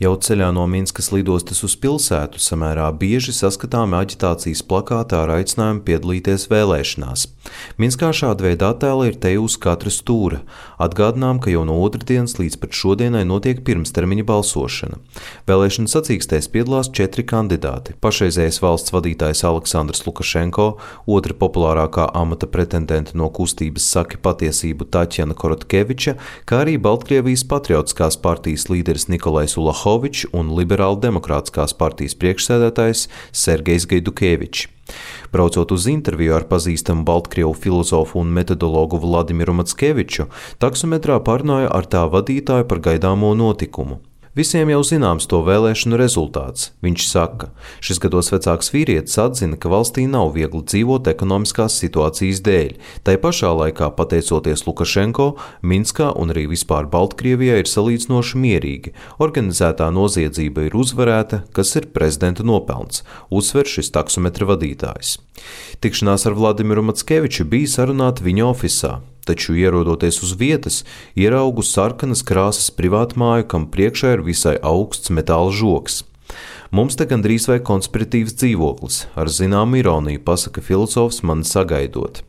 Jau ceļā no Minskas lidostas uz pilsētu samērā bieži saskatāmi aģitācijas plakāti ar aicinājumu piedalīties vēlēšanās. Minskā šāda veida attēli ir te uz katra stūra. Atgādinām, ka jau no otrdienas līdz pat šodienai notiek pirmstermiņa balsošana. Vēlēšana sacīkstēs piedalās 4 kandidāti. Pašreizējais valsts vadītājs Aleksandrs Lukašenko, otra populārākā amata pretendente no kustības Saki patiesību Taķjana Korotkeviča, kā arī Baltkrievijas patriotiskās partijas līderis Nikolais Ulahovičs un Liberāla demokrātiskās partijas priekšsēdētājs Sergejs Gaidukevičs. Braucot uz interviju ar pazīstamu baltkrievu filozofu un metodologu Vladimiru Mackeviču, taksometrā parunāja ar tā vadītāju par gaidāmo notikumu. Visiem jau zināms to vēlēšanu rezultāts. Viņš saka, šis gados vecāks vīrietis atzina, ka valstī nav viegli dzīvot ekonomiskās situācijas dēļ. Tai pašā laikā, pateicoties Lukašenko, Minskā un arī vispār Baltkrievijā ir salīdzinoši mierīgi. Organizētā noziedzība ir uzvarēta, kas ir prezidenta nopelns, uzsver šis taksometra vadītājs. Tikšanās ar Vladimiru Mackeviču bija sarunāta viņa ofisā. Taču, ierodoties uz vietas, ieraugu sarkanas krāsas privātmāju, kam priekšā ir visai augsts metāla žogs. Mums te gandrīz vai konspiratīvs dzīvoklis, ar zināmu ironiju, pasaka filozofs mani sagaidot.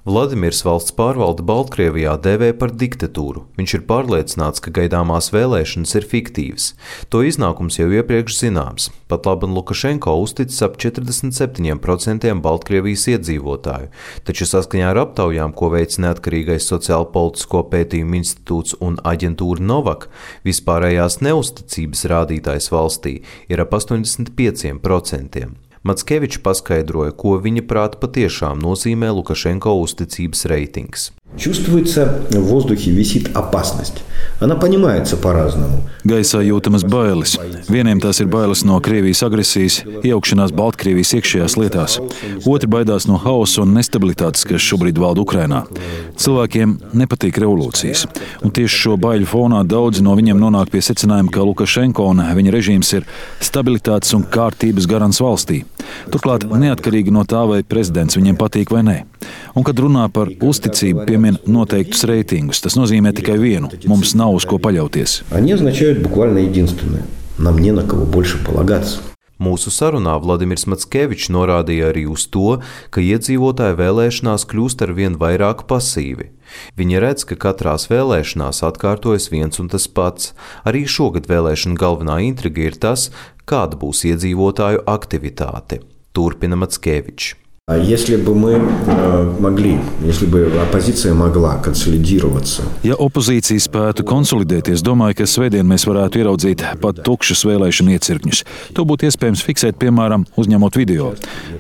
Vladimirs valsts pārvalde Baltkrievijā dēvē par diktatūru. Viņš ir pārliecināts, ka gaidāmās vēlēšanas ir fiktīvas. To iznākums jau iepriekš zināms. Pat labi Lukašenko uzticis ap 47% Baltkrievijas iedzīvotāju, taču saskaņā ar aptaujām, ko veic neatkarīgais sociālpolitisko pētījumu institūts un aģentūra Novak, vispārējās neusticības rādītājs valstī ir ap 85%. Mackevičs paskaidroja, ko viņa prāta patiešām nozīmē Lukašenko uzticības reitings. Чувствуется в воздухе висит опасность. Она понимается по-разному. Gaisā jūtamas bailes. Vieniem tās ir bailes no Krievijas agresijas, iejaukšanās Baltkrievijas iekšējās lietās. Otri baidās no hausa un nestabilitātes, kas šobrīd valda Ukrainā. Cilvēkiem nepatīk revolūcijas. Un tieši šo baiļu fonā daudzi no viņiem nonāk pie secinājuma, ka Lukašenko un viņa režīms ir stabilitātes un kārtības garants valstī. Turklāt neatkarīgi no tā, vai prezidents viņiem patīk vai nē. Un, kad runā par uzticību, piemin noteiktus reitingus. Tas nozīmē tikai vienu – mums nav uz ko paļauties. Mūsu sarunā Vladimirs Mackevičs norādīja arī uz to, ka iedzīvotāji vēlēšanās kļūst ar vien vairāk pasīvi. Viņi redz, ka katrās vēlēšanās atkārtojas viens un tas pats. Arī šogad vēlēšana galvenā intriga ir tas, kāda būs iedzīvotāju aktivitāte. Turpina Mackevičs. Если бы оппозиция могла консолидироваться. Ja opozīcija spētu konsolidēties, domāju, ka svētdien mēs varētu ieraudzīt pat tukšus vēlēšanu iecirkņus. To būtu iespējams fiksēt, piemēram, uzņemot video.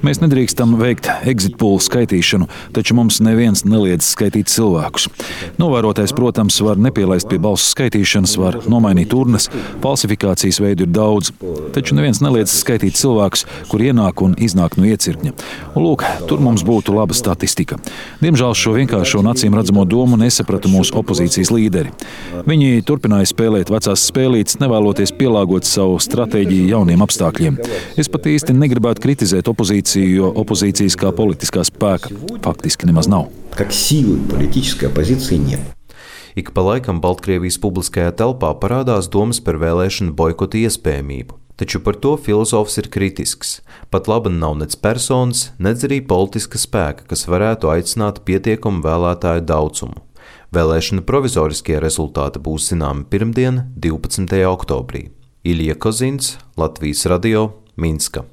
Mēs nedrīkstam veikt exit poll skaitīšanu, taču mums neviens neliedz skaitīt cilvēkus. Novērotājs, protams, var nepielaist pie balsu skaitīšanas, var nomainīt urnas, falsifikācijas veidu ir daudz, taču neviens neliedz skaitīt cilvēkus, kur ienāk un iznāk no iecirkņa. Tur mums būtu laba statistika. Diemžēl šo vienkāršo un acīm redzamo domu nesaprata mūsu opozīcijas līderi. Viņi turpināja spēlēt vecās spēlītes, nevēloties pielāgot savu stratēģiju jauniem apstākļiem. Es pat īsti negribētu kritizēt opozīciju, jo opozīcijas kā politiskā spēka faktiski nemaz nav. Ik pa laikam Baltkrievijas publiskajā telpā parādās domas par vēlēšanu boikota iespējamību. Taču par to filozofs ir kritisks. Pat labi nav nec personas, nec arī politiska spēka, kas varētu aicināt pietiekumu vēlētāju daudzumu. Vēlēšana provizoriskie rezultāti būs zināmi pirmdien, 12. oktobrī. Ilja Kozins, Latvijas radio, Minska.